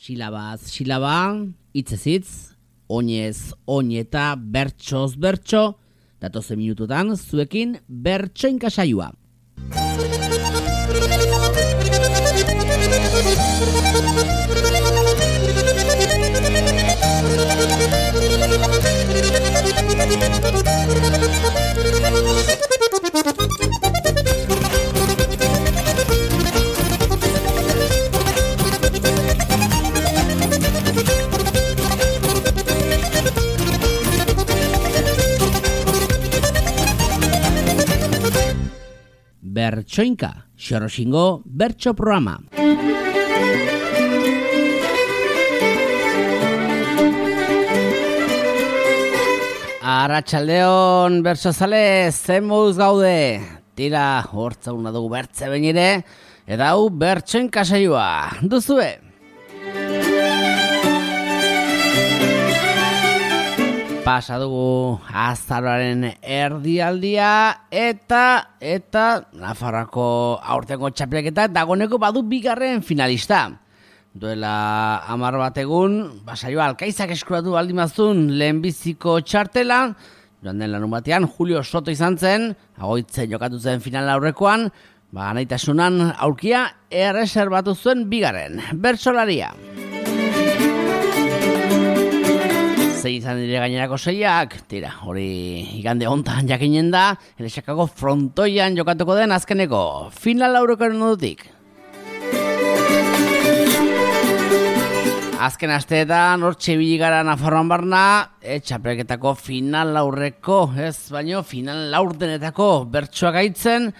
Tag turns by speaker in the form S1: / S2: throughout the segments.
S1: Silabaz silaba, hitzez hitz, oinez oineta, bertsoz bertso, datozen minututan zuekin bertsoinka saioa. Bertsoinka, Xoroxingo bertso programa. Arratsaldeon bertsozale, zen moduz gaude? Tira, hortzauna dugu bertze behin ere, eta hau bertsoinka saioa. Duzue? Pasa dugu azaroaren erdialdia eta Nafarroako aurtengo txapelketa dagoneko badu bigarren finalista. Duela 10 bat egun, saioa Alkaizak eskuratu baldimazun lehenbiziko txartela, joan den larun batean Julio Soto izan zen, agoitzen jokatu zen final aurrekoan, naitasunan aurkia erreserbatu zuen bigarren, bertsolaria. Zein izan dire gainerako seiak, tira, hori igande hontan jakinen da, Elexakako frontoian jokatuko den azkeneko final aurrekoaren odutik. Azken asteetan hortxe biligara Nafarroan barna, txapelketako final aurreko, baino final laurdenetako bertsoak aitzen,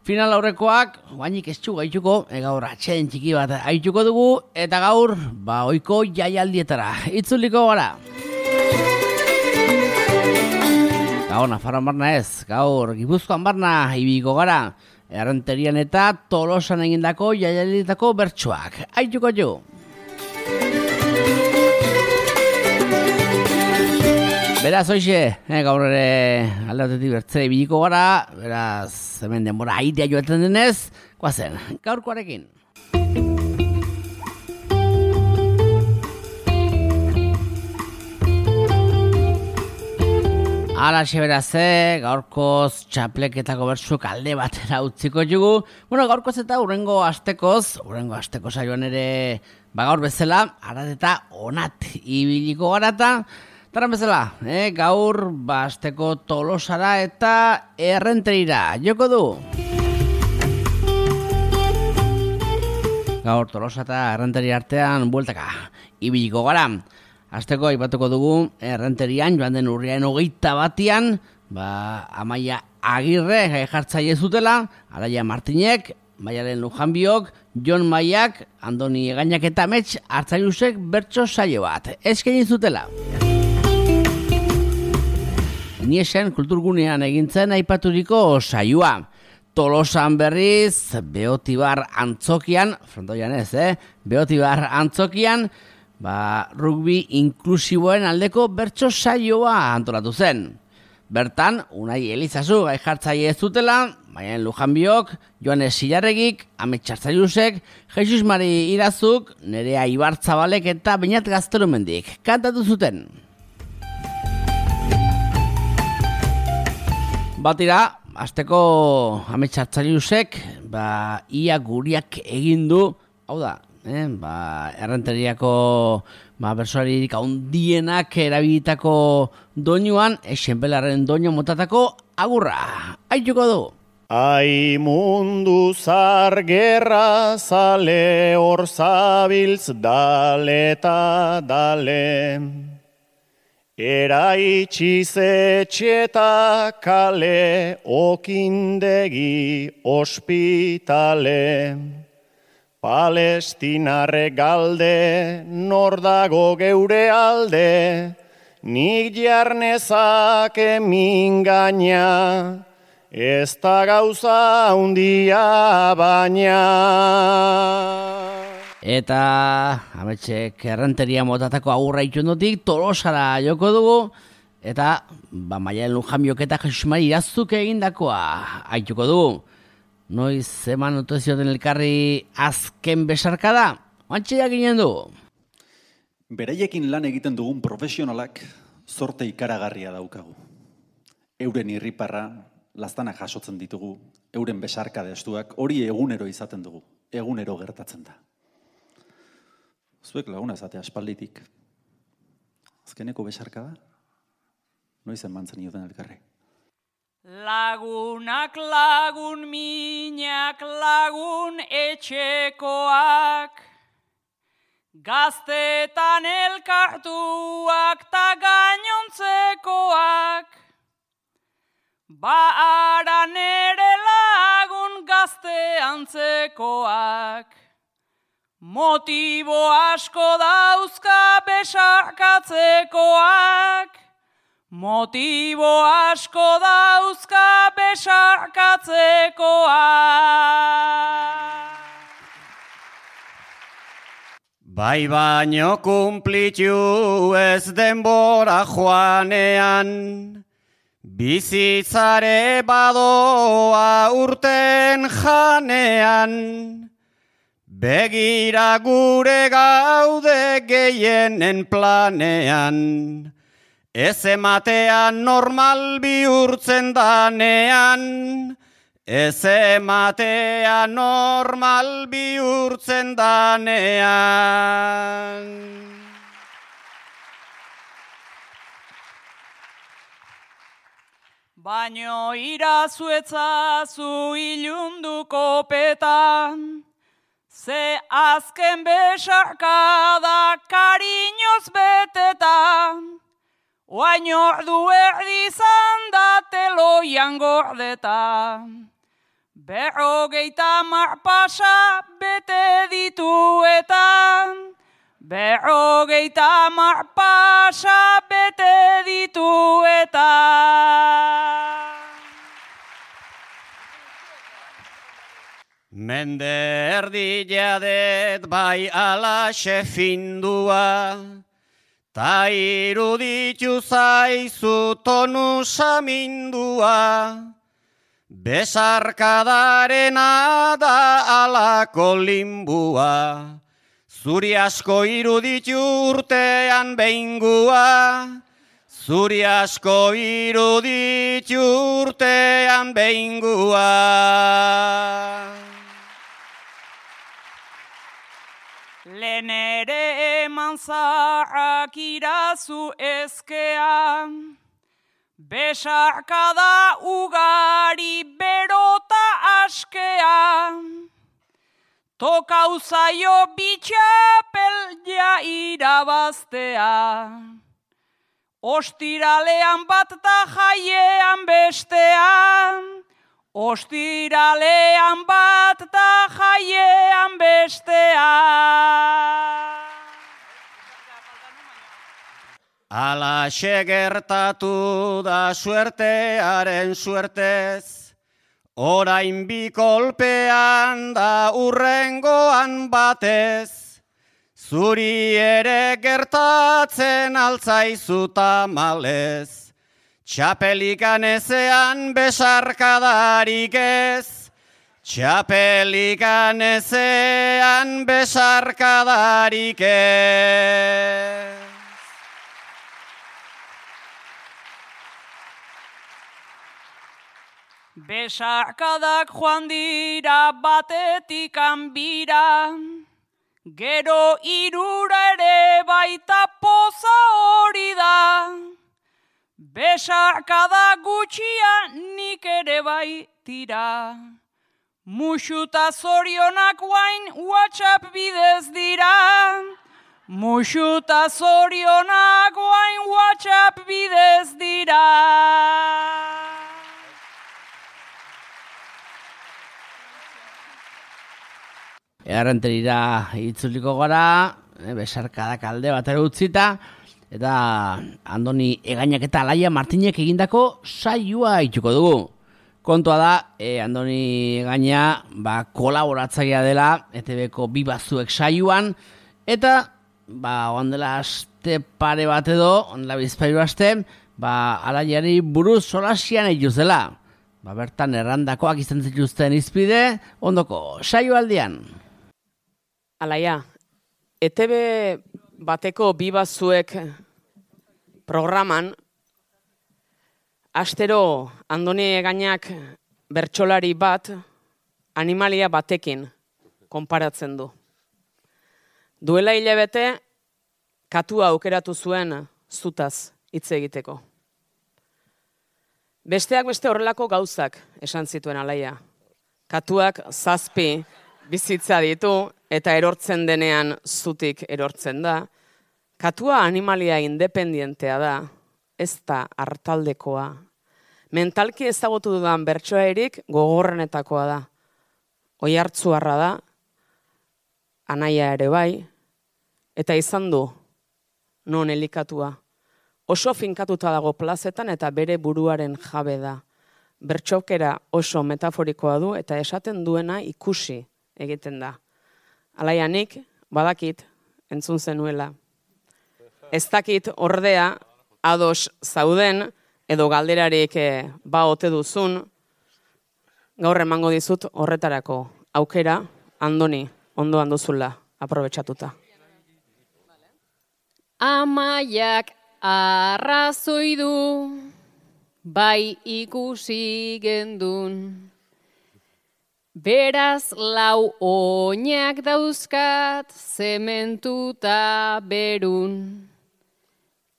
S1: final aurrekoak, guainik ez txugu gaituko, gaur atxeden txiki bat aituko dugu, eta gaur, oiko jaialdietara, itzuliko gara. Gaur Nafarroan barna ez, gaur Gipuzkoan barna ibiko gara, Errenterian eta Tolosan egindako jaialdietako bertsoak, aituko jo. Beraz, hoxe, gaur ere alde batetik bertzere ibiliko gara, beraz, hemen denbora aitea joaten denez, guazen, gaurkoarekin. Alaxe beraz, gaurkoz txapleketako bertsuk alde batera utziko jugu. Gaurkoz eta urrengo asteko saioan ere gaur bezala, arat eta onat ibiliko garata. Taran bezala, gaur asteko Tolosara eta Errenterira joko du. Gaur Tolosa eta Errenteri artean bueltaka ibiliko gara. Azteko aipatuko dugu Errenterian joan den urriaren 21 Amaia Agirre jartzaile zutela, Araia Martinek, Maialen Lujanbiok, Jon Maiak, Andoni Egainak eta Mets hartzailusek bertso saio bat eskaini zutela. Niesen kulturgunean egintzen aipaturiko saioa. Tolosan berriz, Beotibar Antzokian, frontoian ez, Beotibar Antzokian, rugby inklusiboen aldeko bertso saioa antolatu zen. Bertan, Unai Elizazu gai jartzaile ez zutela, Maialen Lujanbiok, Joanes Silarregik, Amets Hartzailusek, Jesus Mari Irazuk, Nerea Ibartzabalek eta Beñat Gaztelumendik kantatu zuten. Batira, azteko Amets Hartzailusek, ia guriak egin du, hau da, Errenteriako bersoaririk handienak erabilitako doinuan, Xenbelarren doinu motatako agurra. Aituko du.
S2: Ai mundu zar gerra zale hor zabiltz dale eta dale. Eraitxiz etxeta kale okindegi ospitale. Palestinarre galde, nor dago geure alde, nik jarnezake mingaina, ez da gauza handia baina.
S1: Eta Ametsek Errenteria motatako agurra itundotik Tolosara joko dugu, eta Maialen Lujanbiok eta Jesus Mari Irazuk egindakoa aituko dugu. Noiz eman otozioten elkarri azken besarkada? Antxeak ginen du.
S3: Beraiekin lan egiten dugun profesionalak zorte ikaragarria daukagu. Euren irriparra, laztanak jasotzen ditugu, euren besarka destuak, hori egunero izaten dugu, egunero gertatzen da. Zuek laguna ezatea aspalditik. Azkeneko besarka da? Noiz emantzen ioten elkarri.
S4: Lagunak lagun, minak lagun etxekoak, gaztetan elkartuak ta gainontzekoak, ba nere lagun gazte antzekoak, motibo asko dauzka besarkatzekoak, motibo asko dauzka besarkatzekoak.
S2: Bai baino kumplitu ez denbora joanean, bizitzare badoa urten janean, begira gure gaude gehienen planean, ez ematean normal bihurtzen danean, ez ematean normal bihurtzen danean.
S4: Baino irazuetzazu ilunduko petan, ze azken besarkada kariñoz betetan, oain ordu erdizan da teloian gordetan. 50 pasa bete dituetan, 50 pasa bete dituetan.
S2: Mende erdi jadet bai alaxe findua, ta iruditu zaizu tonu samindua, besarkadarena da alako limbua, zuri asko iruditu urtean behingua, zuri asko iruditu urtean behingua.
S4: Lehen ere eman zaharrak irazu ezkean, besarkada ugari berota askean, tokau zaio bitxapel ja irabaztea, ostiralean bat ta jaiean bestean, ostiralean bat ta jaiean bestean.
S2: Alaxe gertatu da suertearen suertez, orain bi kolpean da urrengoan batez, zuri ere gertatzen altzaizu tamalez, txapelikan ezean besarkadarik ez, txapelikan ezean besarkadarik ez.
S4: Besarkadak joan dira batetik anbira, gero irura ere baita poza hori da. Besarkada gutxia nik ere bai tira, musuta zorionak guain WhatsApp bidez dira, musuta zorionak guain WhatsApp bidez dira.
S1: Errenterira itzuliko gara, besarkadak alde batera utzita, eta Andoni Egainak eta Alaia Martinek egindako saioa ituko dugu. Kontua da, Andoni Egaina kolaboratzailea dela ETB-ko Bibazuek saioan, eta oan dela aste pare bat edo, ondela bizpairu aste, Alaiari buruz solasian eituz dela. Bertan errandakoak izan zituzten izpide, ondoko saioaldian.
S5: Alaia, ETB bateko bibazuek programan, astero Andoni Egainak bertsolari bat animalia batekin konparatzen du. Duela hilabete, katua aukeratu zuen zutaz hitz egiteko. Besteak beste horrelako gauzak esan zituen Alaia. Katuak 7 bizitza ditu eta erortzen denean zutik erortzen da. Katua animalia independientea da, ez da hartaldekoa. Mentalki ezagutu dudan bertsoairik gogorrenetakoa da. Oihartzuarra da, anaia ere bai, eta izan du non elikatua. Oso finkatuta dago plazetan eta bere buruaren jabe da. Bertxokera oso metaforikoa du eta esaten duena ikusi egiten da. Alaia nik, badakit, entzun zenuela. Ez dakit ordea, ados zauden, edo galderarik ba ote duzun, gaur emango dizut horretarako aukera, Andoni, ondoan duzula, aprobetxatuta.
S6: Amaiak arrazoi du, bai ikusi gendun. Beraz 4 oinak dauzkat zementuta berun.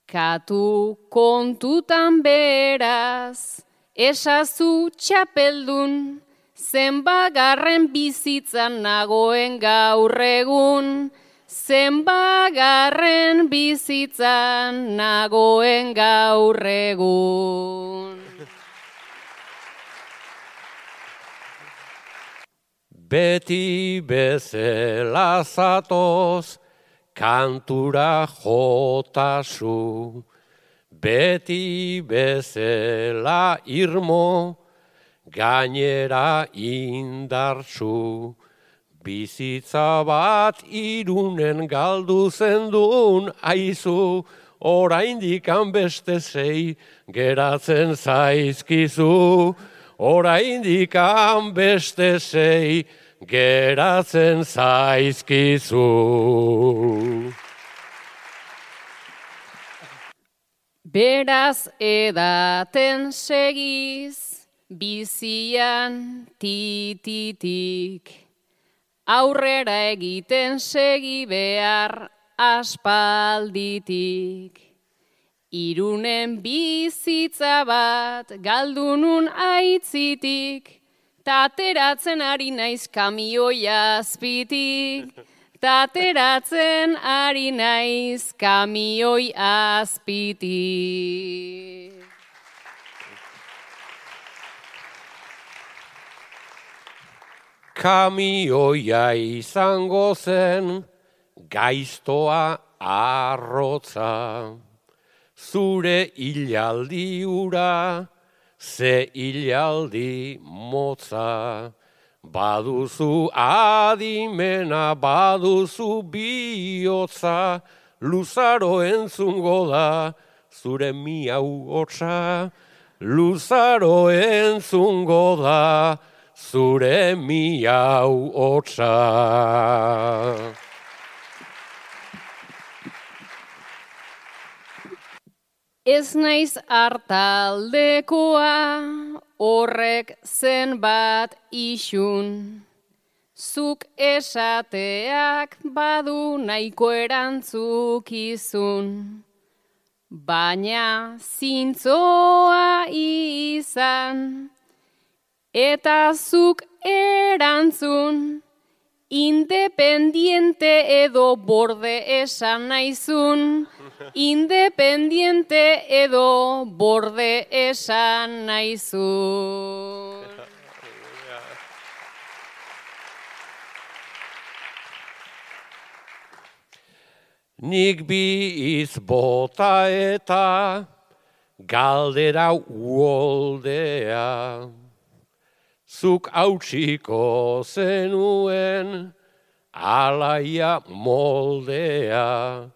S6: Katu kontutan beraz, esazu txapeldun, zenbagarren bizitzan nagoen gaur egun. Zenbagarren bizitzan nagoen gaur egun.
S7: Beti bezala zatoz, kantura jotazu. Beti bezala irmo, gainera indartzu. Bizitza bat Irunen galdu zendun aizu, oraindik beste 6 geratzen zaizkizu. Oraindik beste 6 geratzen zaizkizu.
S6: Beraz edaten segiz, bizian tititik. Aurrera egiten segi behar aspalditik. Irunen bizitza bat galdunun aitzitik, tateratzen ari naiz kamioi azpitik. Tateratzen ari naiz kamioi azpitik.
S7: Kamioia izango zen, gaiztoa arrotza. Zure hilaldi ura, ze hilaldi motza. Baduzu adimena, baduzu bihotza, luzaro entzungo da, zure miau hotza. Luzaro entzungo da, zure miau hotza.
S6: Ez naiz hartaldekoa, horrek zenbat isun. Zuk esateak badu nahiko erantzukizun. Baina zintzoa izan, eta zuk erantzun, independiente edo borde esan naizun. Independiente edo borde esan naizun.
S7: Nik bi izbota eta galdera uoldea. Zuk hautsiko zenuen alaia moldea.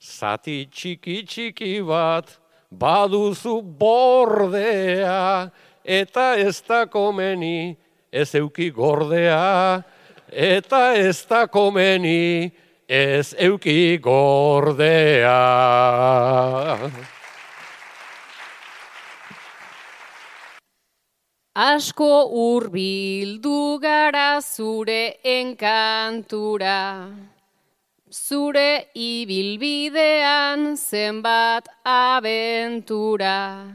S7: Zati txiki bat baduzu bordea, eta ez da komeni ez euki gordea, eta ez da komeni ez euki gordea.
S6: Asko hurbildu gara zure enkantura, zure ibilbidean zenbat abentura.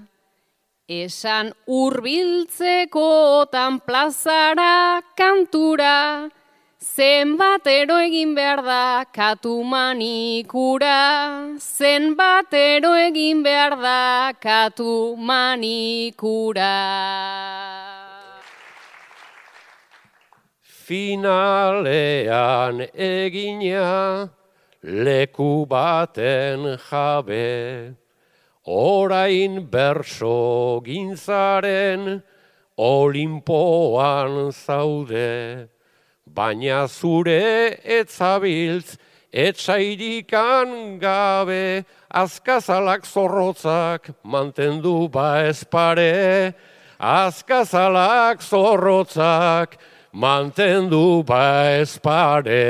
S6: Esan hurbiltzekotan plazara kantura, zenbatero egin behar da katu manikura, zenbatero egin behar da katu manikura.
S7: Finalean egina leku baten jabe, orain berso gintzaren Olimpoan zaude, baina zure etzabiltz etsairikan gabe, azkazalak zorrotzak mantendu ba espare, azkazalak zorrotzak mantendu ba espare.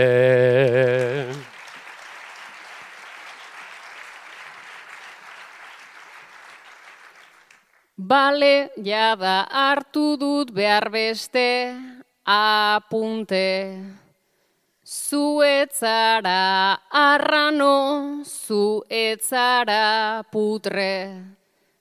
S6: Bale, jada hartu dut behar beste apunte. Zu etzara arrano, zu etzara putre.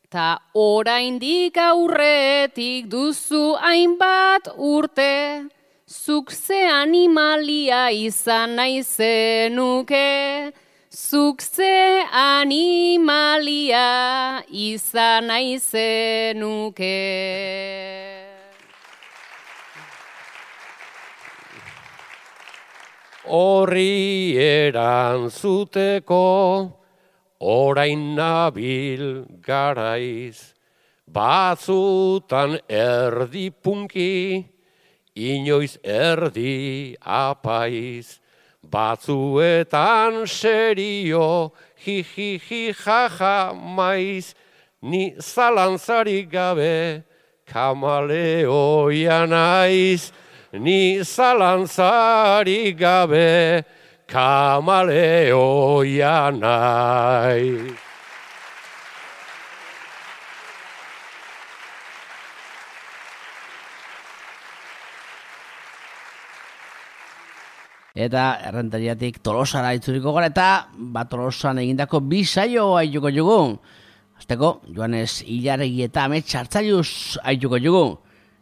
S6: Ta oraindik aurretik duzu hainbat urte. Zuk ze animalia izan nahi zenuke. Zuk ze animalia izan nahi zenuke.
S7: Horri erantzuteko orain nabil garaiz, batzutan erdi punki, inoiz erdi apaiz, batzuetan serio, hi jaja maiz, ni zalantzarik gabe kamaleoia naiz, ni zalantzarik gabe kamaleoia naiz.
S1: Eta Errentariatik Tolosara itzuliko gara eta Tolosan egindako bi saio aituko jugu. Azteko, Joanes Ilarregi eta Amets Hartzaiuz aituko jugu.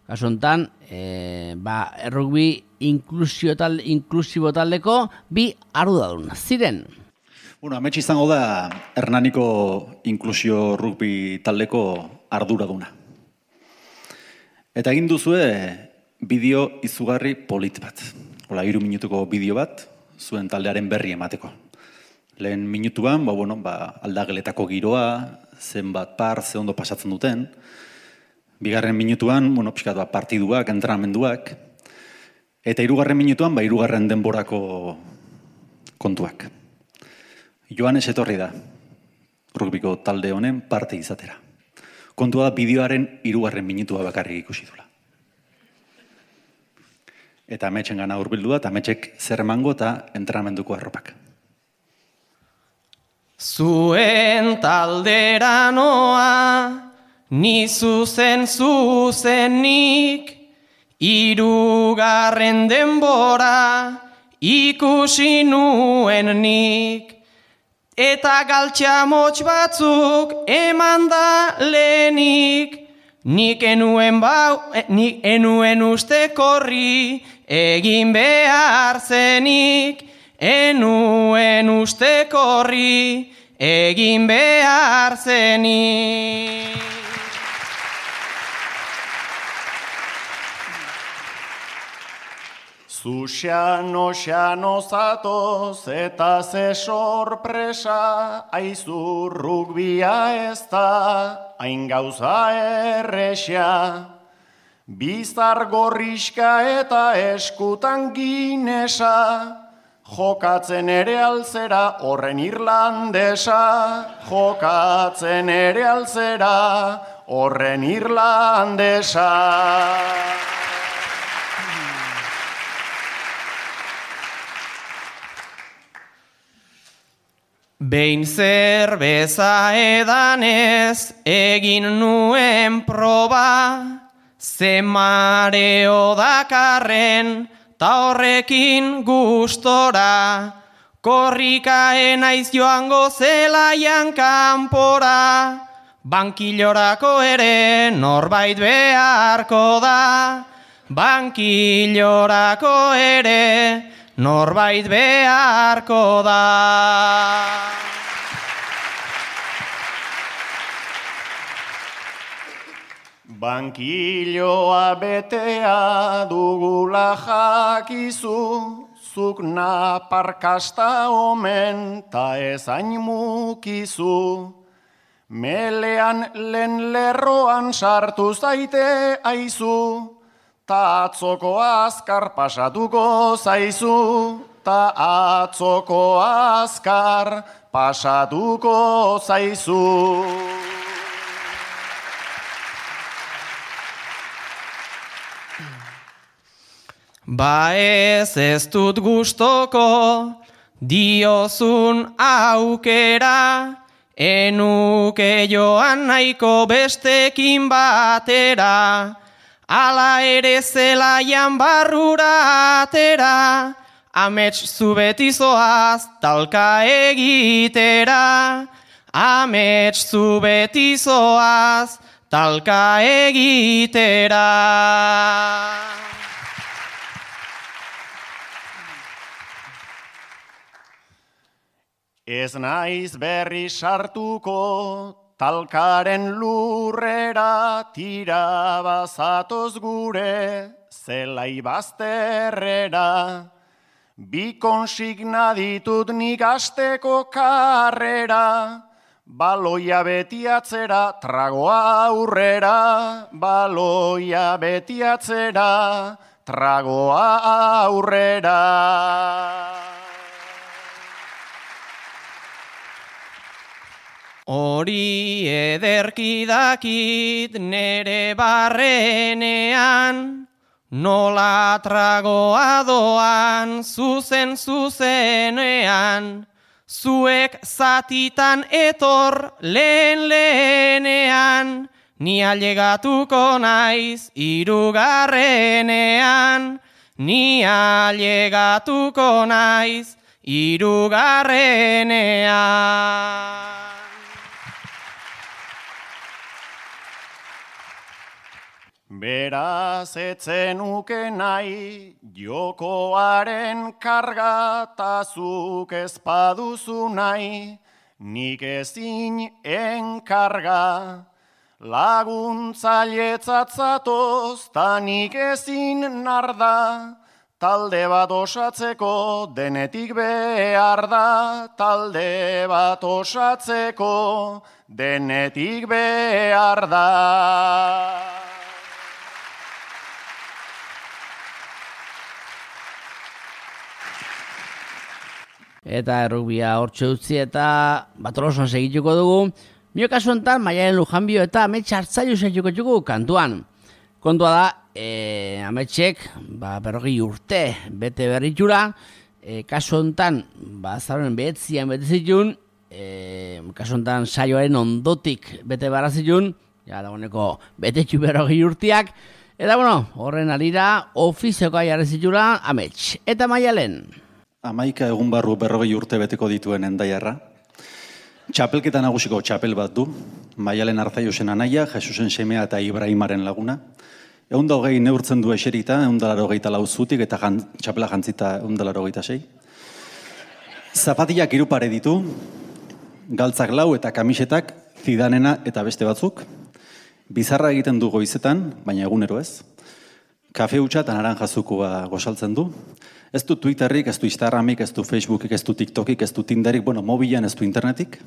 S1: Kasuntan, errugbi inklusibo taldeko bi arduradun ziren.
S3: Bueno, Amets izango da Hernaniko inklusio rugbi taldeko arduraduna. Eta egin duzue bideo izugarri polit bat. 3 minutuko bideo bat, zuen taldearen berri emateko. Lehen minutuan, aldageletako giroa, zenbat ze ondo pasatzen duten. Bigarren minutuan, pixkat partiduak, entrenamenduak. Eta 3. minutuan, 3. denborako kontuak. Joanes etorri da, rugbiko talde honen parte izatera. Kontua da, bideoaren 3. minutua bakarrik ikusi dula. Eta Ametsen gana hurbildu da, eta Ametsek zer emango eta entrenamenduko arropak.
S2: Zuen taldera noa, ni zuzenik, 3. denbora ikusi nuen nik. Eta galtxamotx batzuk eman da lehenik, nik enuen uste korri, egin behar zenik, enuen uste korri, egin behar zenik. Zu xano zatoz eta ze sorpresa, aizu rugbia ez da, hain gauza erresa. Bizar gorriska eta eskutan ginesa, jokatzen ere alzera horren irlandesa, jokatzen ere alzera horren irlandesa.
S8: Behin zerbeza edanez egin nuen proba, ze mareo dakarren ta horrekin gustora, korrikaen naiz joango zelaian kanpora, bankilorako ere norbait beharko da, bankilorako ere norbait beharko da.
S2: Bankiloa betea dugula jakizu, zuk naparkasta omen ta ezain mukizu. Melean lehen lerroan sartu zaite aizu, ta atzoko azkar pasatuko zaizu, ta atzoko azkar pasatuko zaizu.
S8: Ba ez dut gustoko diozun aukera, enuke joan nahiko bestekin batera, ala ere zelaian barrura atera, amets zu beti zoaz talka egitera, amets zu beti zoaz talka egitera.
S2: Ez naiz berri sartuko talkaren lurrera, tira bazatoz gure zelai bazterrera. Bi konsigna ditut nik asteko karrera, baloia beti atzera, tragoa aurrera, baloia beti atzera, tragoa aurrera.
S8: Hori ederki dakit nere barrenean, nola tragoa doan zuzenean, zuek zatitan etor lehenean, ni ailegatuko naiz hirugarrenean, ni ailegatuko naiz hirugarrenean.
S2: Beraz etzenuke nahi jokoaren karga, tazuk ezpaduzu nahi, nik ezin enkarga. Laguntzailetzat zatoz, ta nik ezin narda, talde bat osatzeko denetik behar da, talde bat osatzeko denetik behar da.
S1: Eta errugbia hortxe utzi eta batolosan segituko dugu. Mio kasu enten, Maialen Lujanbio eta Amets Hartzailu segituko dugu kantuan. Kontua da, Ametsek, 40 urte bete berritura, kasu enten, zaroren behetzian bete zitun, kasu enten saioaren ondotik bete barazitun, ja dagoeneko betetxu 40 urteak, eta bueno, horren alira ofiziokoa jarri zitula Amets. Eta Maialen?
S3: 11 egun barru 40 urte beteko dituen Hendaiarra. Txapelketa nagusiko txapel bat du. Maialen Hartzailusen anaia, Jesusen semea eta Ibrahimaren laguna. 120 neurtzen du eserita, 184 zutik eta txapela jantzita 186. Zapatillak 3 pare ditu, galtzak 4 eta kamisetak Zidanena eta beste batzuk. Bizarra egiten du goizetan, baina egunero ez. Kafe hutsa eta naranjazukoa gosaltzen du. Ez du Twitterrik, ez du Instagramik, ez du Facebookik, ez du TikTokik, ez du Tinderik, mobilan ez du internetik.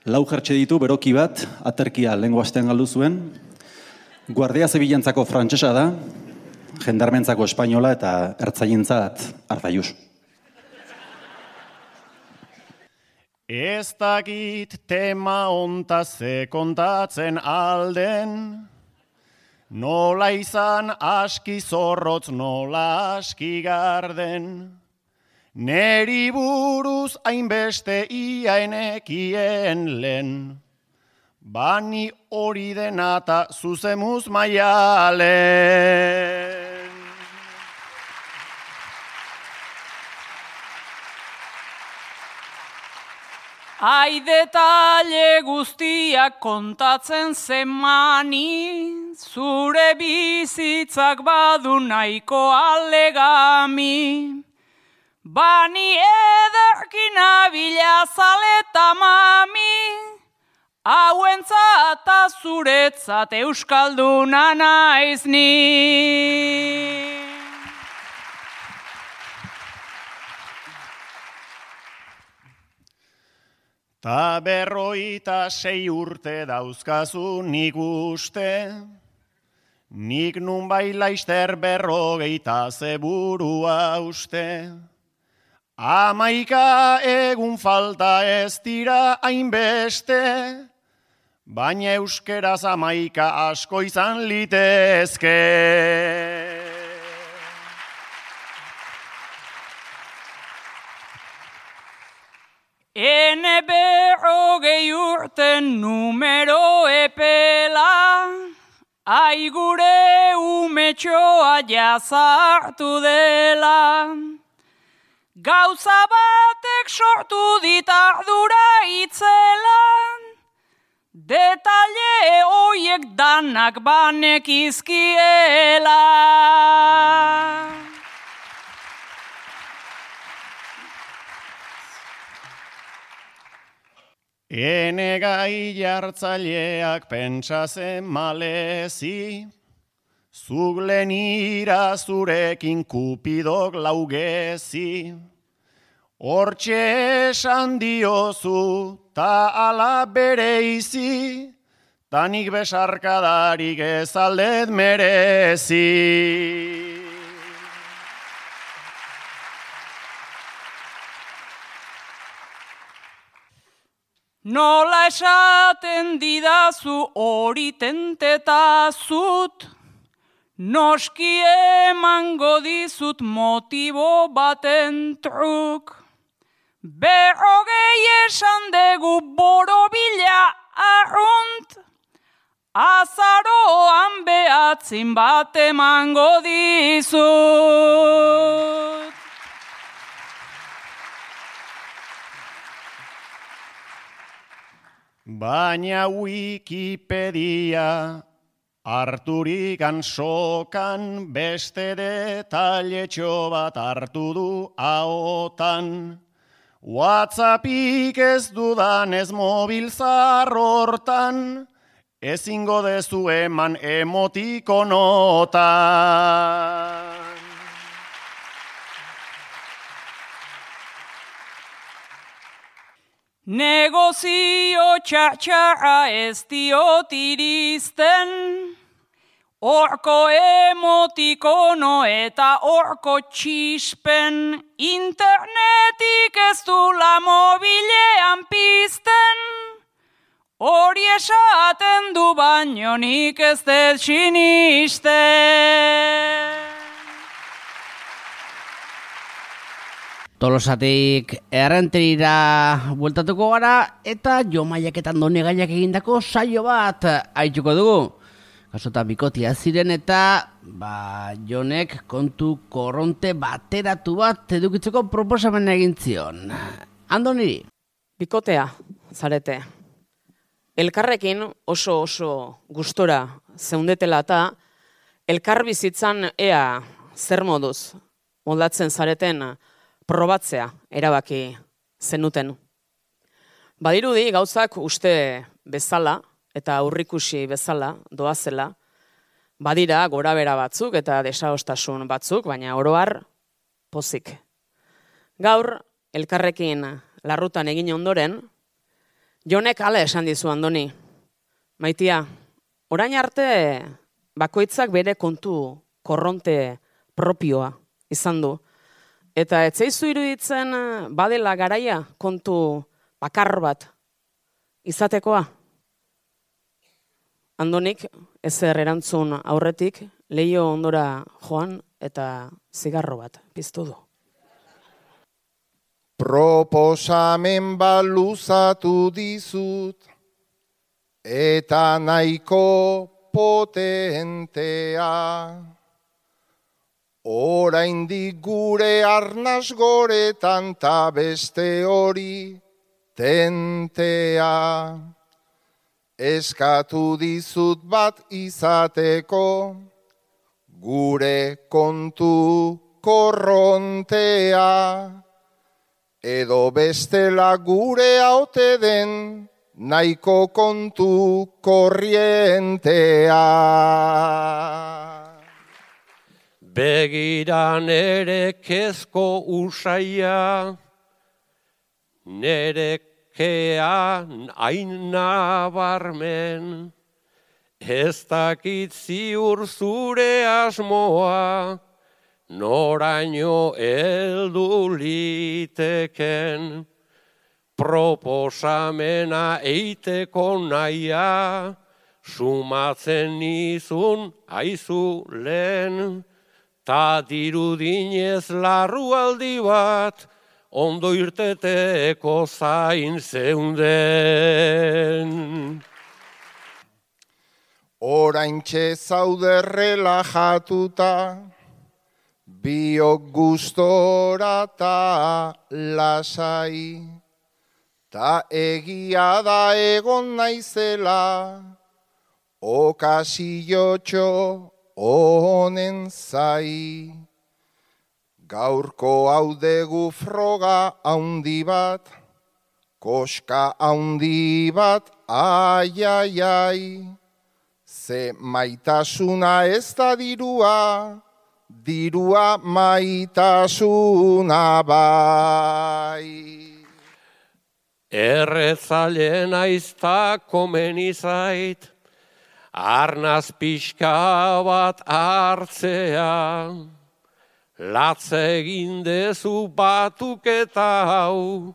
S3: 4 jertxe ditu, beroki bat, aterkia lehengo astean galdu zuen. Guardia Zibilentzako frantsesa da, jendarmentzako espainola eta ertzaientzat Hartzaius.
S2: Ez dakit tema ontaz ze kontatzen alden, nola izan aski zorrotz, nola aski garden. neri buruz hainbeste iaenekien lehen. Bani hori denata zuzemuz maialen.
S4: Ai detalle guztiak kontatzen zemani, zure bizitzak badu nahiko alegami. Bani ederkin abila zaleta mami, hauentzat eta zuretzat euskalduna naiz ni.
S2: Ta 56 urte dauzkazu nik uste, nik nunbai laister 40 zeburua uste. 11 egun falta ez dira hainbeste, baina euskeraz 11 asko izan litezke.
S4: Ene 40 urten numero epela, ai gure umetxoa jazartu dela. Gauza batek sortu dit ardura itzelan, detalle hoiek danak banekizkiela.
S2: Ene gai jartzaileak pentsazen malezi, zuk lenira zurekin kupidok laugezi. Hortxe esan diozu ta ala bereizi, ta nik besarkadarik ez aldet merezi.
S4: Nola esaten didazu hori tentetazut, noski emango dizut motibo baten truk. 40 esan dugu borobila arrunt, azaroan behatzin bat emango dizut.
S2: Baina Wikipedia harturikan sokan beste detailetxo bat hartu du ahotan. WhatsAppik ez dudanez mobil zarrortan, ezingo dezu eman emotikonotan.
S4: Negozio txatxarra ez diot iristen, orko emotikono eta orko txispen, internetik ez dula mobilean pizten, hori esaten du baino nik ez dut sinisten.
S1: Tolosatik errenterira bueltatuko gara eta Jomaiak eta Andonegaiak egindako saio bat aituko dugu. Kasotan bikotia ziren eta Jonek kontu korronte bateratu bat edukitzeko proposamena egin zion. Andoniri?
S5: Bikotea, zarete. Elkarrekin oso gustora zeundetela eta elkar bizitzan ea zer moduz moldatzen zareten probatzea erabaki zenuten. Badirudi gauzak uste bezala eta aurrikusi bezala doazela, badira gorabera batzuk eta desadostasun batzuk, baina oro har pozik. Gaur elkarrekin larrutan egin ondoren, Jonek hala esan dizu Andoni. Maitia, orain arte bakoitzak bere kontu korronte propioa izan du. Eta etzaizu iruditzen badela garaia kontu bakar bat izatekoa? Andonik ezer erantzun aurretik leiho ondora joan eta zigarro bat piztu du.
S9: Proposamen baluzatu dizut, eta nahiko potentea. Oraindik gure arnas goretan ta beste hori tentea. Eskatu dizut bat izateko, gure kontu korrontea. Edo bestela gure haute den, nahiko kontu korrientea.
S7: Begira nere kezko usaia, nerekean hain nabarmen, ez dakit ziur zure asmoa, noraino heldu liteken. Proposamena eiteko naia, sumatzen nizun aizu lehen, ta dirudinez larrualdi bat, ondo irteteko zain zeunden.
S9: Oraintxe zaude relajatuta, biok gustora ta lasai, ta egia da egon naizela, okasiotxo honen zai. Gaurko hau degu froga haundi bat, koska haundi bat, ai, ai, ai. Ze maitasuna ez da dirua, dirua maitasuna bai.
S7: Erretzaile naiz ta komeni zait, arnaz pixka bat hartzea, latz egin dezu batuketa hau,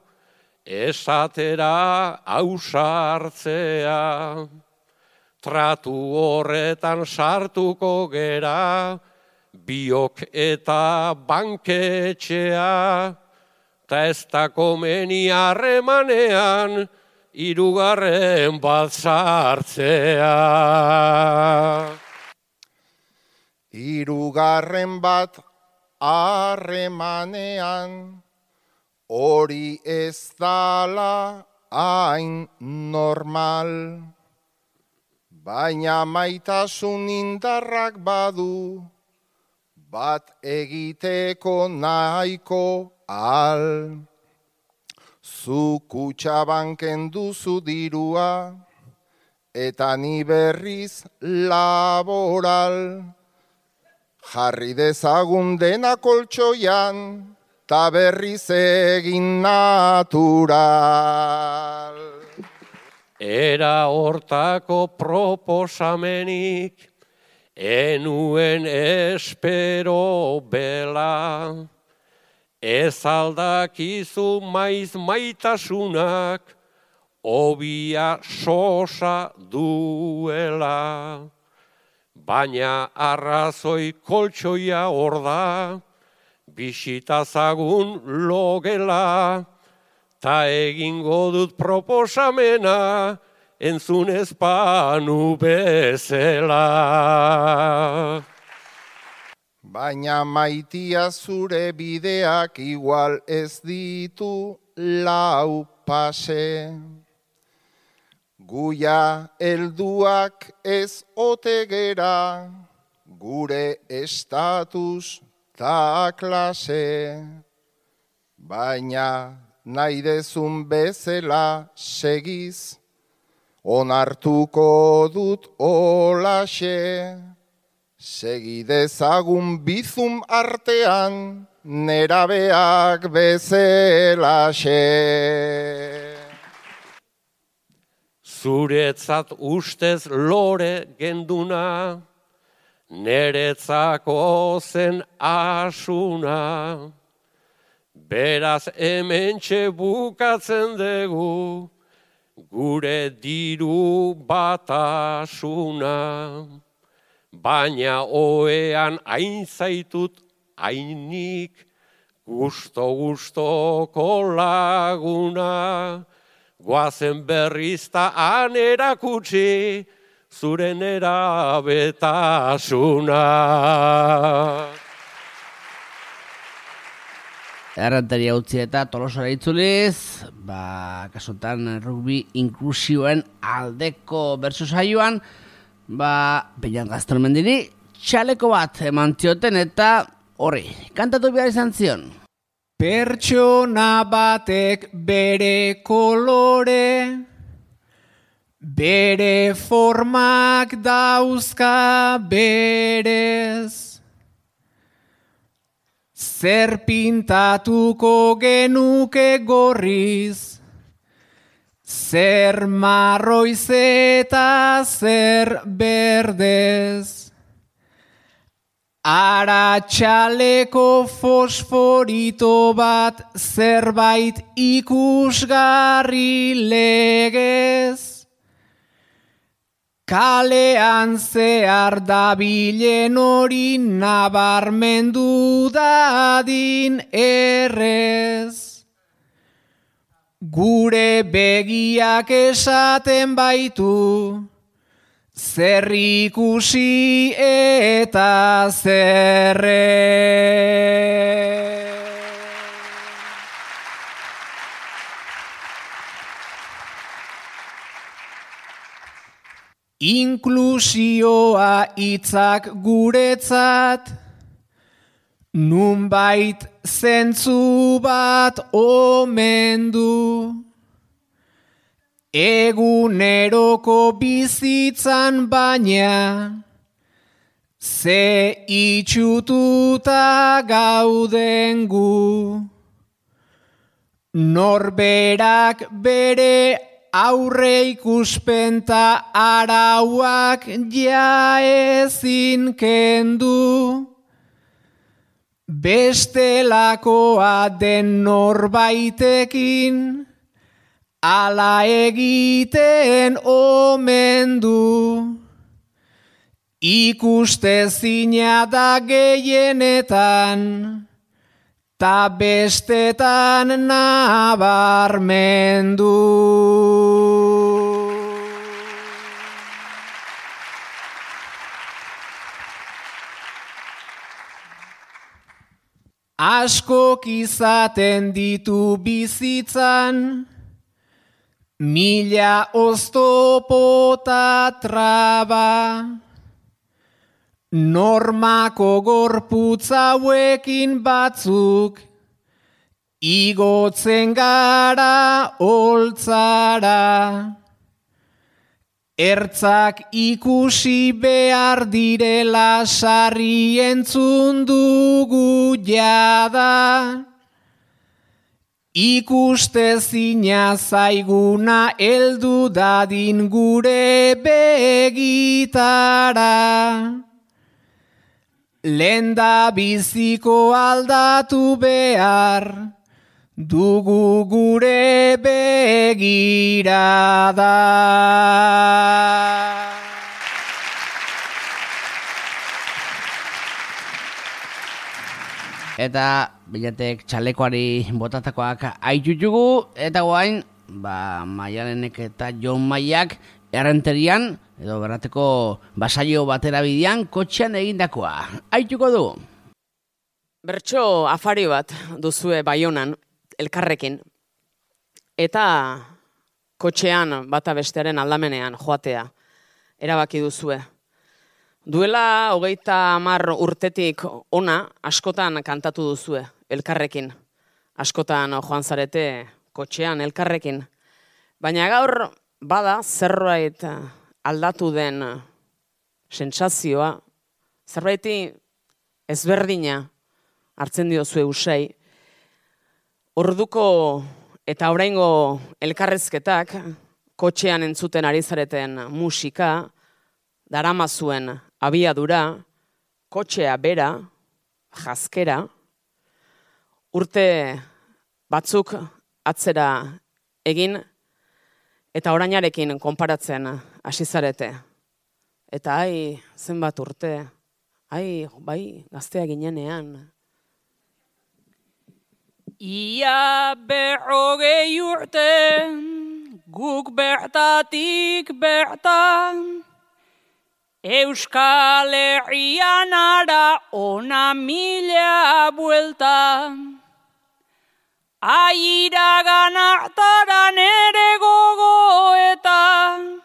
S7: esatera ausartzea. Tratu horretan sartuko gera, biok eta banketxea, ta ez da komeni harremanean, hirugarren bat sartzea.
S9: Hirugarren bat harremanean, hori ez dala hain normal. Baina maitasun indarrak badu, bat egiteko nahiko al. Zu kutxabanken duzu dirua, eta ni berriz laboral. Jarri dezagun dena koltxoian, ta berriz egin natural.
S7: Era hortako proposamenik, enuen espero bela, ez aldakizu maiz maitasunak, obia sosa duela. Baina arrazoi koltsoia hor da, bisitazagun logela, ta egingo dut proposamena, entzun ezpanu bezela.
S9: Baina maitia zure bideak igual ez ditu lau pase. Guia helduak ez otegera, gure estatus ta klase. Baina nahi dezun bezela segiz, onartuko dut olaxe. Segi dezagun bizum artean, nerabeak bezelaxe.
S7: Zuretzat ustez lore genduna, neretzako zen asuna. Beraz hementxe bukatzen dugu, gure diru batasuna. Baina oean hain zaitut hainik, Gustoko laguna, goazen berrizta han erakutsi, zure nerabetasuna.
S1: Errenteria utzi eta Tolosara itzuliz, kasutan rugby inklusioen aldeko bertso saioan, Peñan Gaztelmendiri txaleko bat eman zioten eta horri, kantatu behar izan zion.
S8: Pertsona batek bere kolore, bere formak dauzka berez. Zer pintatuko genuke gorriz, zer marroiz eta zer berdez. Aratxaleko fosforito bat zerbait ikusgarri legez. Kalean zehar dabilen hori nabarmendu dadin errez. Gure begiak esaten baitu, zer ikusi eta zerre. Inklusioa hitzak guretzat, nunbait zentzu bat omen du. Eguneroko bizitzan baina, ze itxututa gauden gu. Norberak bere aurre ikuspenta arauak ja ezin kendu. Bestelakoa den norbaitekin, ala egiten omen du. Ikustezina da gehienetan, ta bestetan nabarmendu. Askok izaten ditu bizitzan, mila oztopota traba. Normako gorputz hauekin batzuk, igotzen gara holtzara. Ertzak ikusi behar direla sarri entzun dugu jada. Ikustezina zaiguna heldu dadin gure begitara. Lenda biziko aldatu behar, dugu gure begirada.
S1: Eta bilatek txalekoari botatakoak aitutugu, eta guain, Maialenek eta Jon Maiak errenterian, edo berrateko basaio batera bidean, kotxean egindakoa. Aituko du.
S5: Bertso afari bat duzue Baionan, elkarrekin, eta kotxean bata bestearen aldamenean joatea erabaki duzue. Duela 30 urtetik ona askotan kantatu duzue elkarrekin. Askotan joan zarete kotxean elkarrekin. Baina gaur bada zerbait aldatu den sentsazioa, zerbaiti ezberdina hartzen diozue usai. Orduko eta oraingo elkarrezketak, kotxean entzuten ari zareten musika, daramazuen abiadura, kotxea bera, jazkera, urte batzuk atzera egin, eta orainarekin konparatzen hasi zarete. Eta zenbat urte, bai, gaztea ginenean.
S4: Ia 40 urte, guk bertatik bertan, Euskal Herrian ara ona 1000 buelta. Airagan hartaran ere gogoetan,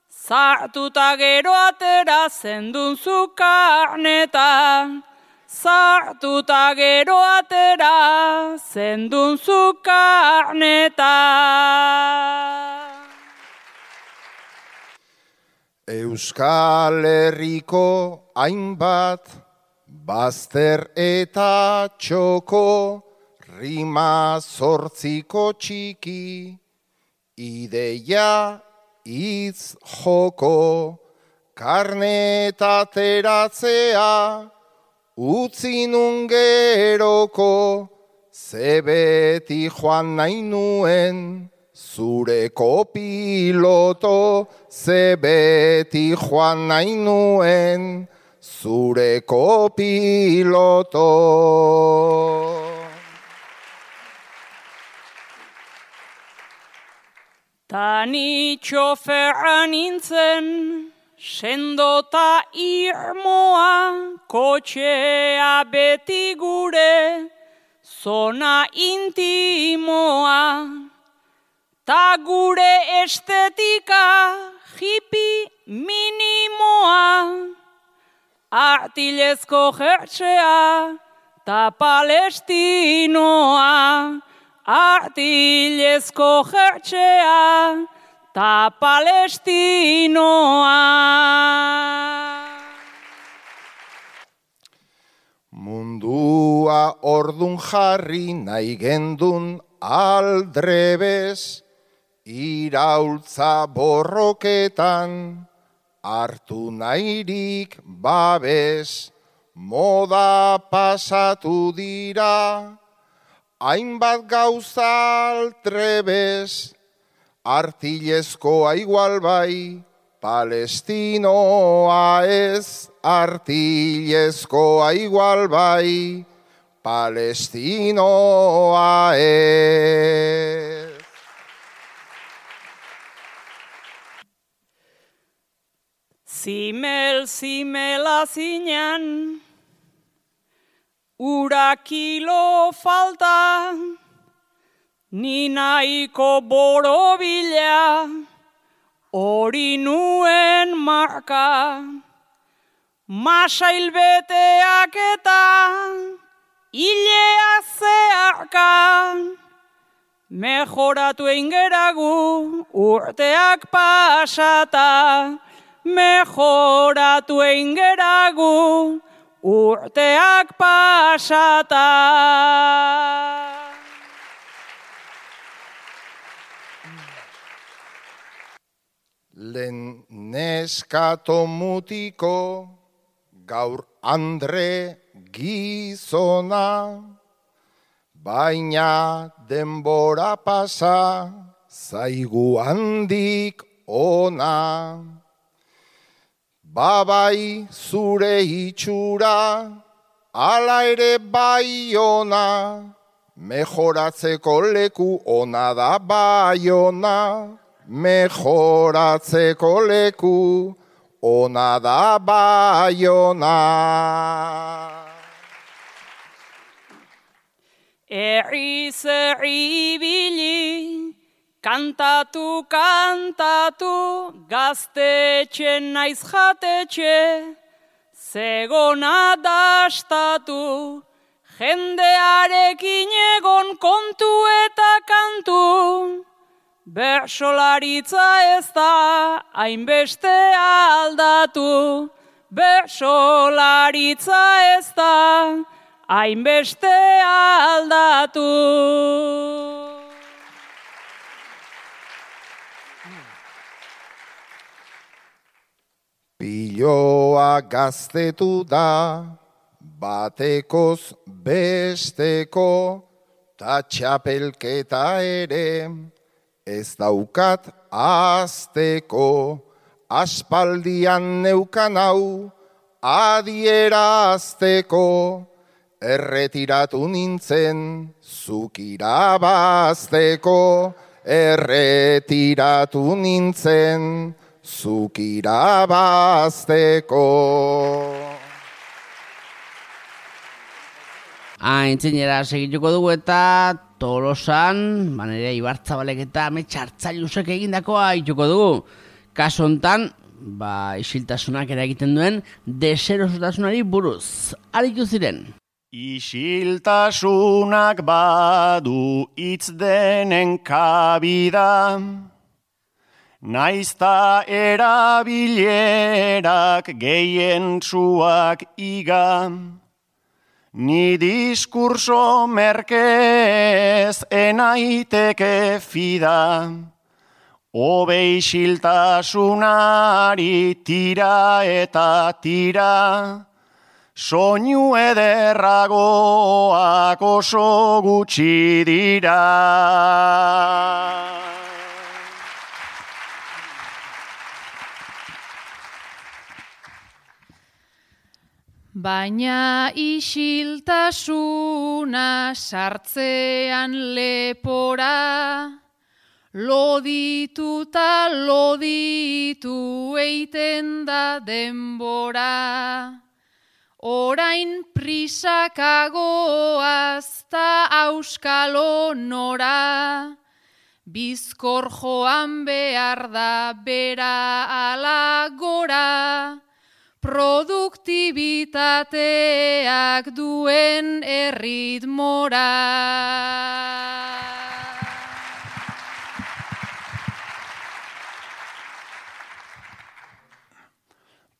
S4: sartuta gero atera zendun zu karnetan. Sartuta gero atera zendun zu karnetan.
S9: Euskal Herriko hainbat bazter eta txoko, rima 8 txiki, ideia hitz joko, karnetateratzea, utzi nun geroko, ze beti joan nahi nuen, zure kopiloto, ze beti joan nahi nuen, zure kopiloto.
S4: Tani txoferra nintzen, sendota irmoa, kotxea beti gure, zona intimoa. Ta gure estetika, hippie minimoa, artilezko jertsea, ta palestinoa. Artilezko jertsea, ta palestinoa.
S9: Mundua ordun jarri nahi gendun aldrebez, iraultza borroketan, hartu nahirik babes, moda pasatu dira, hainbat gauza altrebez, artilezkoa igual bai, palestinoa ez, artilezkoa igual bai, palestinoa ez.
S4: Zimela zinean, ura kilo falta, ni nahiko borobila, hori nuen marka. Masail beteak eta hilea zeharka, mejoratu eingeragu urteak pasata, mejoratu eingeragu urteak pasata.
S9: Lehen neskato mutiko, gaur Andre gizona, baina denbora pasa, zaigu handik ona. Babai zure itxura, ala ere bai ona, mejoratzeko leku ona da bai ona, mejoratzeko leku ona da bai ona.
S4: Erriz ibili, kantatu, kantatu, gaztetxen naiz jatetxe, zegona dastatu, jendearekin egon kontu eta kantu, bersolaritza ez da hainbeste aldatu, bersolaritza ez da hainbeste aldatu.
S9: Piloa gaztetu da, batekoz besteko, ta txapelketa ere, ez daukat azteko, aspaldian neukan hau adierazteko, erretiratu nintzen, zuk irabazteko, erretiratu nintzen, zuk irabazteko.
S1: Aintzinera segituko dugu eta Tolosan, Nerea Ibartzabalek eta Metxartzailusek egindakoa ituko dugu. Kaso hontan, isiltasunak eragiten duen deserosotasunari buruz. Aritu ziren.
S2: Isiltasunak badu hitz denen kabida, naizta erabilerak gehientsuak iga. Ni diskurso merkez enaiteke fida, hobe isiltasunari tira eta tira, soinu ederragoak oso gutxi dira.
S6: Baina isiltasuna sartzean lepora, lodituta loditu eiten da denbora. Orain prisakagoaz ta auskalo nora, bizkor joan behar da bera ala gora, produktibitateak duen erritmora.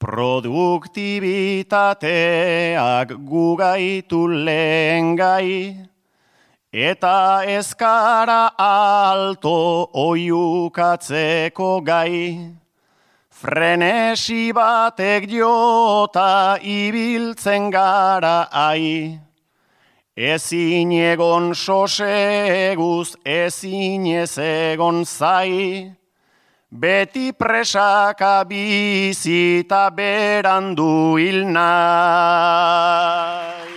S2: Produktibitateak gugaitu lehen gai, eta ezkara alto oiukatzeko gai. Frenesi batek jota ibiltzen gara ai, ezin egon soseguz, ezin ez egon zai, beti presaka bizita berandu hil nahi.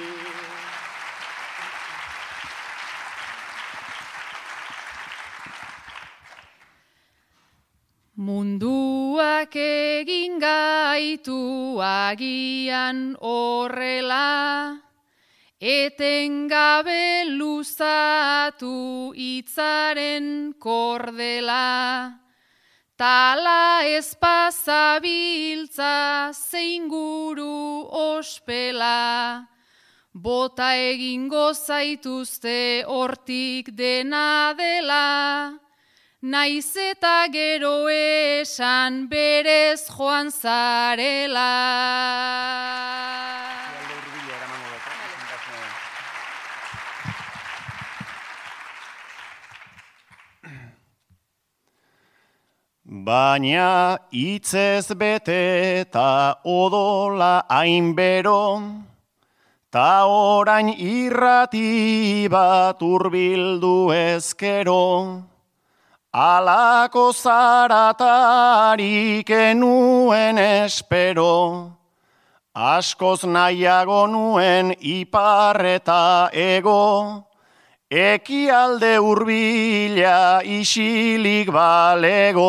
S6: Munduak egin gaitu agian horrela, etengabe luzatu hitzaren kordela. Tala ezpazabiltza zein guru ospela, bota egingo zaituzte hortik dena dela, naiz eta gero esan berez joan zarela.
S2: Baina hitzez bete eta odola hainbero, ta orain irrati bat hurbildu ezkero, alako zaratarik enuen espero, askoz nahiago nuen ipar eta ego, ekialde hurbila isilik balego.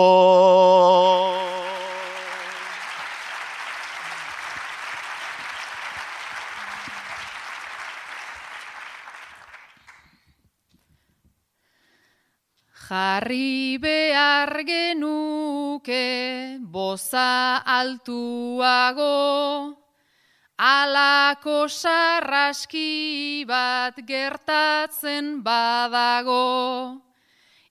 S6: Jarri behar genuke boza altuago, alako sarraski bat gertatzen badago.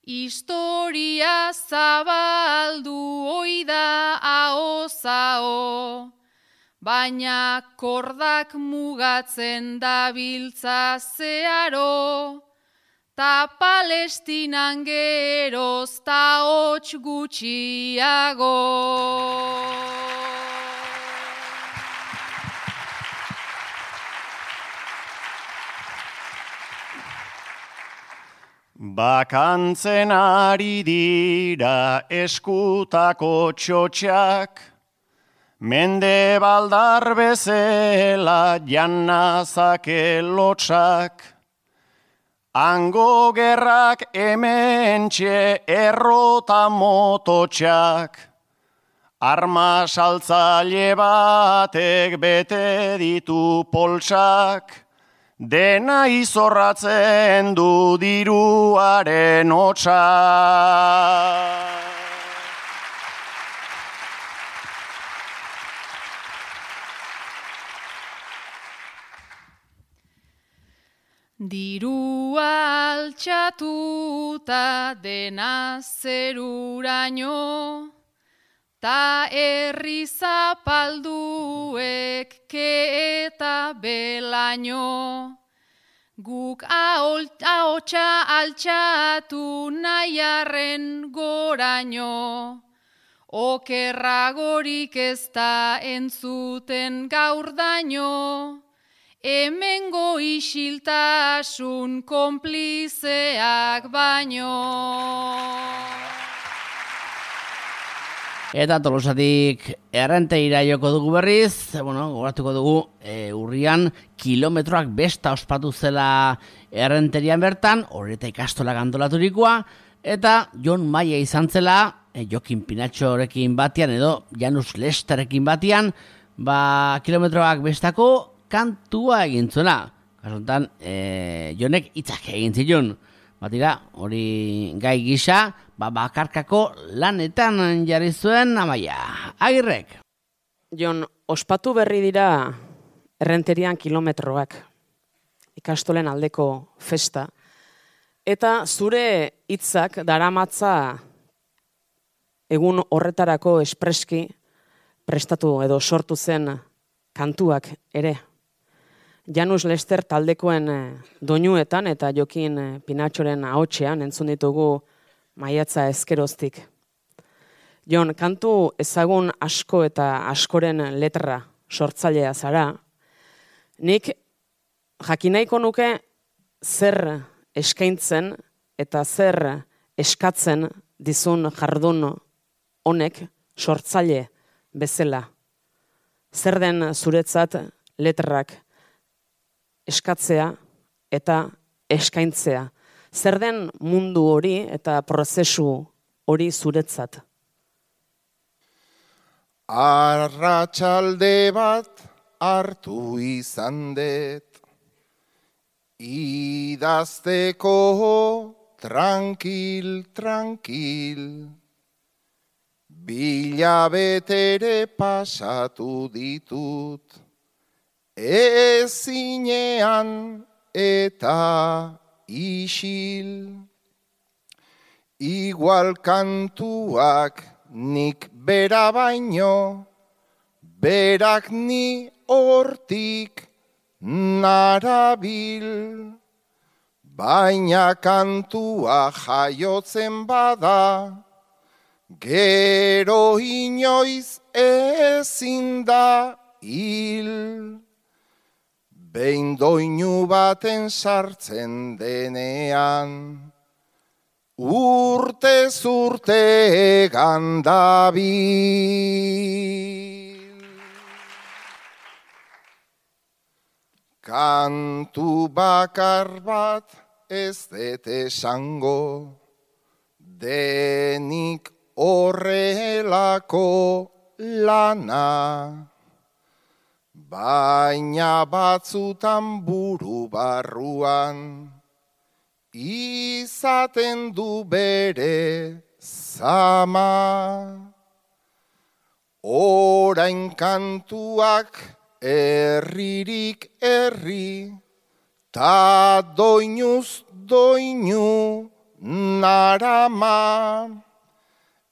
S6: Historia zabaldu oida aho-zaho, baina kordak mugatzen dabiltza zeharo, ta Palestinan geroz ta hots gutxiago.
S2: Bakantzen ari dira eskutako txotxak, Mende baldar bezela janazake lotxak, hango gerrak hementxe errota mototxak, arma saltzaile batek bete ditu poltsak, dena izorratzen du diruaren hotsa.
S6: Dirua altxatuta dena zeruraino, ta herri zapalduek ke eta belaino. Guk ahotsa altxatu nahiarren goraino, okerragorik ez da entzuten gaur daino, hemengo isiltasun konplizeak baino.
S1: Eta Tolosatik Errenteira joko dugu berriz, gogoratuko dugu urrian kilometroak besta ospatu zela Errenterian bertan, horreta ikastola antolaturikoa, eta Jon Maia izan zela, Jokin Pinatxorekin batian edo Janus Lesterekin batian, kilometroak bestako kantua egin zuela. Kasuntan, Jonek hitzak egin zilun. Batira, hori gai gisa, bakarkako lanetan jarri zuen Amaia. Agirrek.
S5: Jon, ospatu berri dira Errenterian kilometroak, ikastolen aldeko festa, eta zure hitzak daramatza egun horretarako espreski prestatu edo sortu zen kantuak ere. Janus Lester taldekoen doinuetan eta Jokin Pinatxoren ahotsean entzun ditugu maiatza ezkeroztik. Jon, kantu ezagun asko eta askoren letra sortzailea zara. Nik jakinaiko nuke zer eskaintzen eta zer eskatzen dizun jardun honek sortzaile bezala. Zer den zuretzat letrak eskatzea eta eskaintzea. Zer den mundu hori eta prozesu hori zuretzat?
S9: Arratsalde bat hartu izan dut, idazteko tranquil, bilabetere pasatu ditut, ezinean eta isil, igual kantuak nik bera baino, berak ni hortik narabil, baina kantua jaiotzen bada, gero inoiz ezin da hil. Behin doinu baten sartzen denean, urtez urte egan dabil. Kantu bakar bat ez dut esango, denik horrelako lana. Baina batzutan buru barruan, izaten du bere zama. Orain kantuak herririk herri, ta doinuz doinu narama.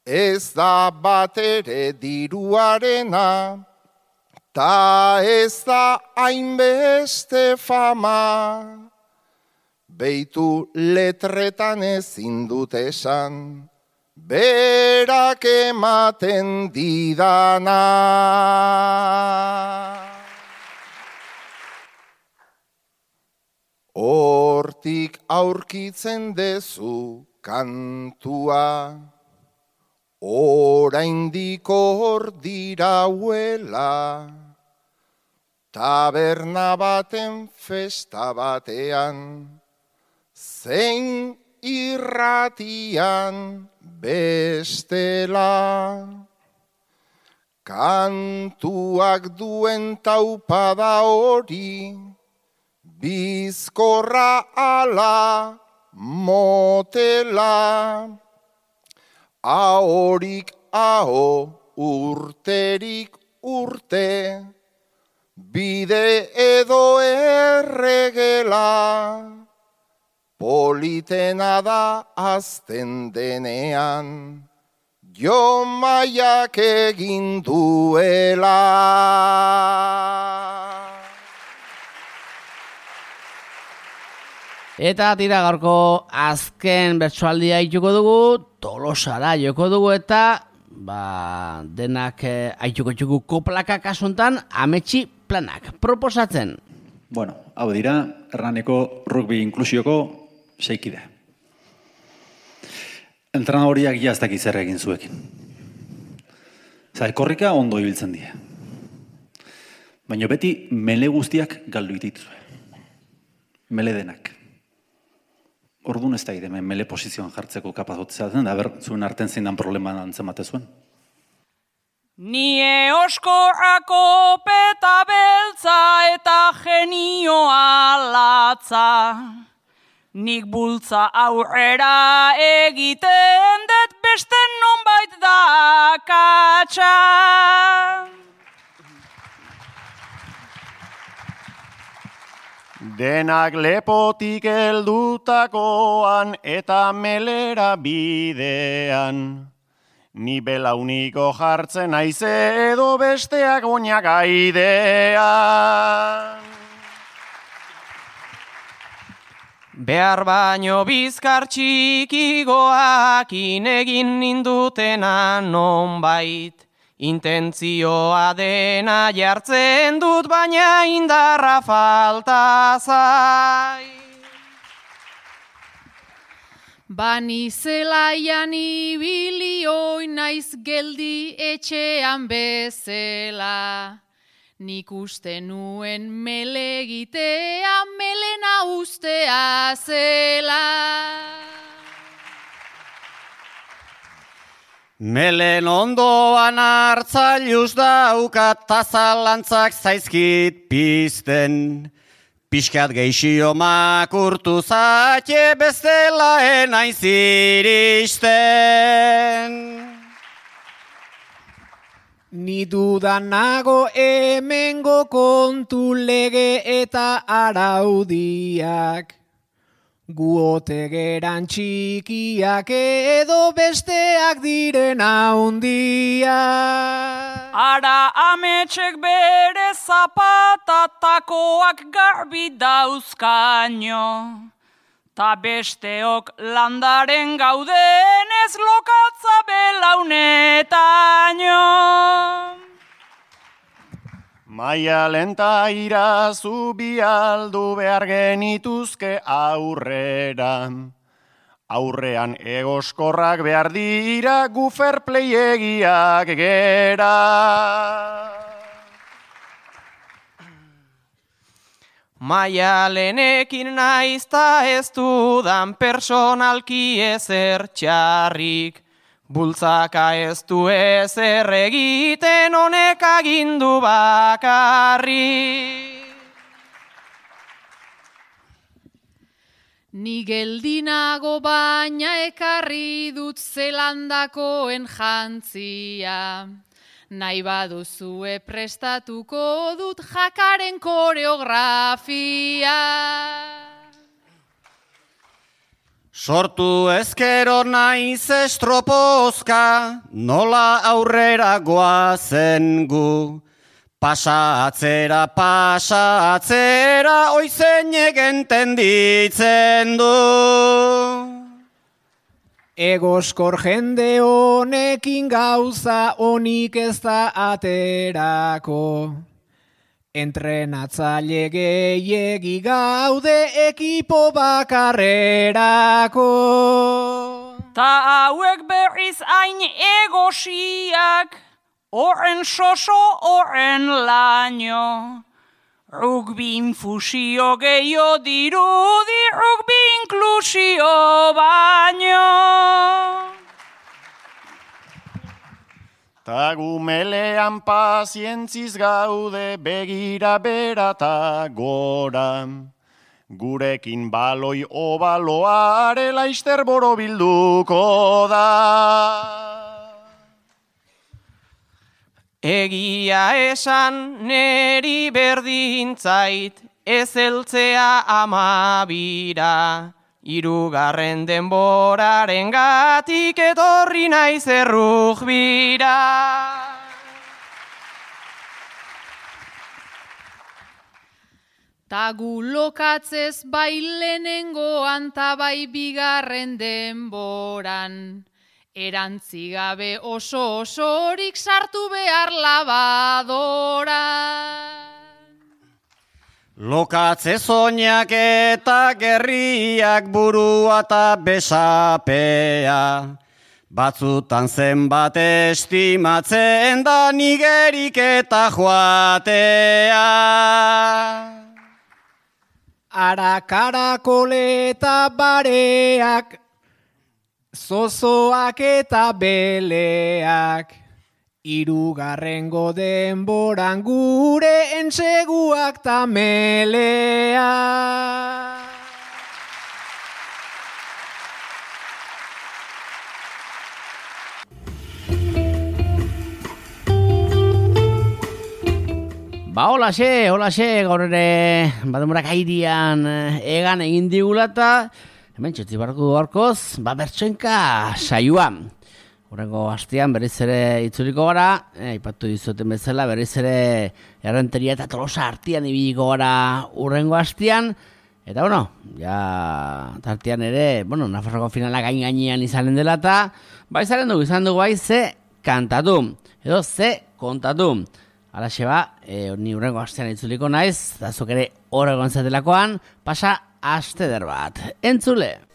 S9: Ez da batere diruarena, ta ez da hainbeste fama, beitu letretan ezin dut esan, berak ematen didana. Hortik aurkitzen dezu kantua, oraindik hor dirauela, taberna baten festa batean, zein irratian bestela. Kantuak duen taupada hori, bizkorra ala motela. Ahorik aho, urterik urte, bide edo erregela. Politena da azten denean, jo maiak egin duela.
S1: Eta tira gaurko azken bertsoaldia aituko dugu, Tolosara joko dugu eta denak aituko txuku koplaka kasuntan ametsi planak proposatzen.
S3: Bueno, hau dira, Hernaneko rugby inklusioko 6 kide. Entrenadoriak ja ez dakit zer egin zuekin. Korrika ondo ibiltzen die. Baina beti mele guztiak galdu dituzue. Mele denak. Orduan ez da hemen mele posizioan jartzeko kapazotzea zen, da zuen arten zindan problema antzemate zuen.
S4: Nie oskorrako peta beltza eta genioa latza. Nik bultza aurrera egiten dut beste nonbait da katxa.
S2: Denak lepotik heldutakoan eta melera bidean. Ni belauniko jartzen naiz edo besteak oinak aidean.
S10: Behar baino bizkar txikigoakin egin nindutena nonbait. Intentzioa dena jartzen dut, baina indarra falta zai.
S6: Bani zelaian ibili oin naiz geldi etxean bezela. Nik uste nuen mele egitea melena ustea zela.
S10: Melen ondoan hartzailuz daukat tazalantzak zaizkit pizten. Piskat geixio makurtu zatxe bestela enaiz iristen.
S8: Ni dudan nago hemengo kontu lege eta araudiak. Guote geran txikiak edo besteak diren handiak.
S4: Ara ametxek bere zapatatakoak garbi dauzkaino. Ta besteok landaren gauden ez lokatza belaunetaino.
S2: Maia lenta irazu bialdu behar genituzke aurrera. Aurrean egoskorrak behar dira gu fair play egiak gera.
S10: Maialenekin naizta ez dudan personalki ezer txarrik. Bultzaka ez du ezer egiten honek agindu bakarrik.
S6: Ni geldinago baina ekarri dut Zelandakoen jantzia. Nahi baduzue prestatuko dut jakaren koreografia.
S10: Sortu ezkero naiz estropozka, nola aurrera goazen gu. Pasa atzera, oizenek entenditzen du.
S8: Egoskor jende honekin gauza honik ez da aterako. Entrenatzaile gehiegi gaude ekipo bakarrerako.
S4: ta hauek berriz hain egosiak, horren soso, horren laino. Rugbi infusio gehiago dirudi, rugbi inklusio baino.
S2: Ta gumelean pazientziz gaude begira bera ta gora. Gurekin baloi obaloare laister borobilduko da.
S10: Egia esan neri berdintzait ez heltzea amabira. Hirugarren denboraren gatik etorri naiz errugbira.
S6: Ta gu lokatzez bai lehenengoan ta bai bigarren denboran. Erantzigabe osorik sartu behar labadora.
S10: Lokatze soinak eta gerriak burua eta besapea. Batzutan zenbat estimatzen da nigerik eta joatea.
S8: Arakarakole eta bareak, zozoak eta beleak, hirugarrengo denboran gure entseguak ta meleak.
S1: Ba, holaxe, gaur ere, bademorak airean egan egin digula eta hemen txotzi barko gorkoz, bertsoenka saioa. Horrengo astean berriz ere itzuliko gara, aipatu dizuten bezala, berriz ere Errenteria eta Tolosa artean ibiliko gara horrengo astean. Eta, ja tartean ere, Nafarroko finala gainean izanen dela eta, izan dugu ze kantatu, edo ze kontatu. Alaxe ni hurrengo astean itzuliko naiz, eta zuk ere horregon zatelakoan, pasa aste der bat. Entzule!